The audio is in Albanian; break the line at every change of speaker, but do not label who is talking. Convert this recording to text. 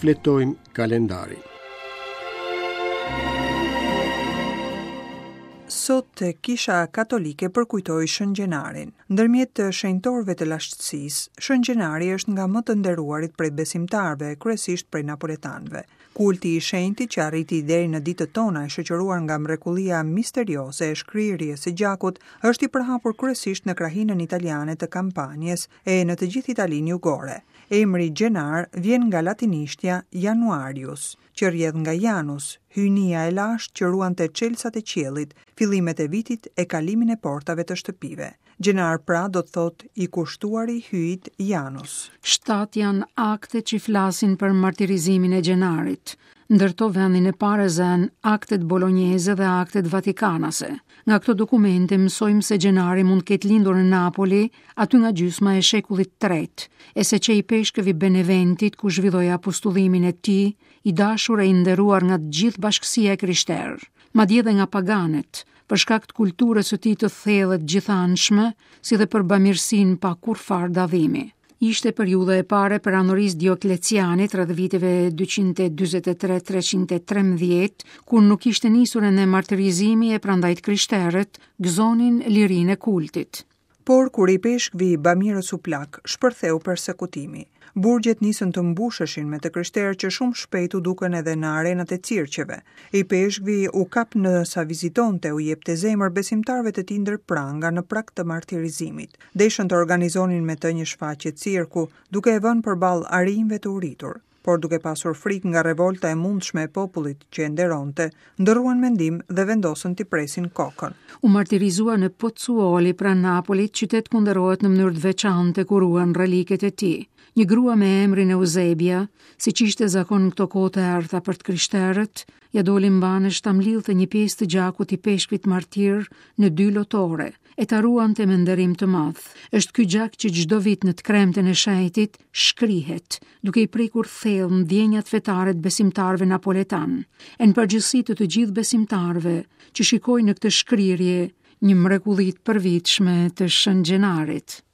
Shfletojmë kalendarin.
Sot Kisha Katolike përkujtoi Shën Gjenarin. Ndërmjet shenjtorëve të lashtësisë, Shën Gjenari është nga më të nderuarit prej besimtarëve, kryesisht prej napoletanëve. Kulti i shenjtit që arriti deri në ditët tona e shoqëruar nga mrekullia misterioze e shkrirjes së gjakut, është i përhapur kryesisht në krahinën italiane të Kampanjes e në të gjithë Italinë jugore. Emri Gjenar vjen nga latinishtja Januarius, që rrjedh nga Janus, hyjnia e lashtë që ruante çelësat e qiellit, fillimet e vitit e kalimin e portave të shtëpive. Gjenar pra do të thotë i kushtuari hyjit
Janus. Shtatë janë aktet që flasin për martirizimin e Gjenarit. Ndër to vendin e parë e zënë aktet bolonjeze dhe aktet vatikanase. Nga këto dokumente mësojmë se Gjenari mund të ketë lindur në Napoli, aty nga gjysma e shekullit të tretë, e se qe ipeshkëv i Beneventit ku zhvilloi apostullimin e tij, i dashur e i nderuar nga gjithë bashkësia e krishterë, madje dhe nga paganët, për shkak të kulturës së tij të thellë e të gjithanshme, si dhe për bamirësinë pa kurrfarë dallimi. Ishte periudha e parë e perandorisë Dioklecianit rreth viteve 243-313, kur nuk ishte nisur ende martirizimi e prandaj të krishterët gëzonin lirinë e kultit.
Por kur ipeshkvi bamirës u plak, shpërtheu persekutimi. Burgjet nisën të mbusheshin me të krishterë që shumë shpejt u dukën edhe në arenat e cirqeve. Ipeshkvi u kap ndërsa vizitonte u jepte zemër besimtarëve të tij ndër pranga në prag të martirizimit. Deshën të organizonin me të një shfaqje cirku, duke e vënë përballë arinjve të uritur. Por duke pasur frikë nga revolta e mundshme e popullit që e nderonte, ndërruan mendim dhe vendosën t'i presin
kokën. U martirizua në Pozzuoli pranë Napolit, qytet ku nderohet në mënyrë të veçantë e ku ruhen reliket e tij. Një grua me emrin Eusebia, siç ishte zakon në këto kohë të errëta për të krishterët, ia doli mbanë e ta mblidhte një pjesë të gjakut të ipeshkvit martir në dy lotore, e ta ruante me nderim të madh. Është ky gjak që çdo vit në të kremten e shenjtit shkrihet, duke i prekur thellë ndjenjat fetare të besimtarëve napoletanë, e në përgjithësi të të gjithë besimtarëve që shikojnë në këtë shkrirje një mrekulli të përvitshme të Shën Gjenarit.